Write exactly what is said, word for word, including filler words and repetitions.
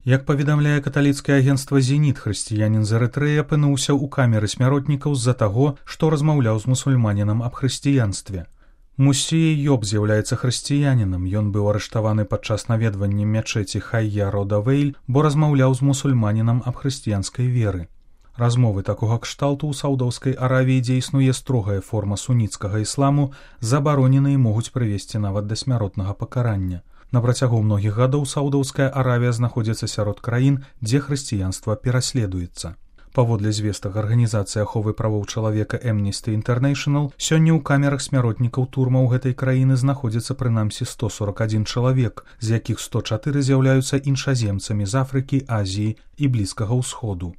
Як паведамляе каталіцкае агенцтва «Зеніт», хрысціянін з Эрытрэі апынуўся ў камеры смяротнікаў з-за таго, што размаўляў з мусульманінам аб хрысціянстве. Мусія Йоб з'яўляецца хрысціянінам, ён быў арыштаваны падчас наведвання мячэці Хайя рода Вейль, бо размаўляў з мусульманінам аб хрысціянскай веры. Размовы такога кшталту ў Саўдаўскай Аравіі, дзе існуе строгая форма суніцкага ісламу, забаронены і могуць прывесці нават да смяротнага пакарання. На працягу многіх гадоў Саўдаўская Аравія знаходзіцца сярод краін, дзе хрысціянства пераследуецца. Паводле звестак арганізацыі аховы правоў чалавека Amnesty International, сёння ў камерах смяротнікаў турмаў гэтай краіны знаходзіцца прынамсі сто сорок адзін чалавек, з якіх сто чатыры з'яўляюцца іншаземцамі з Афрыкі, Азіі і Блізкага ўсходу.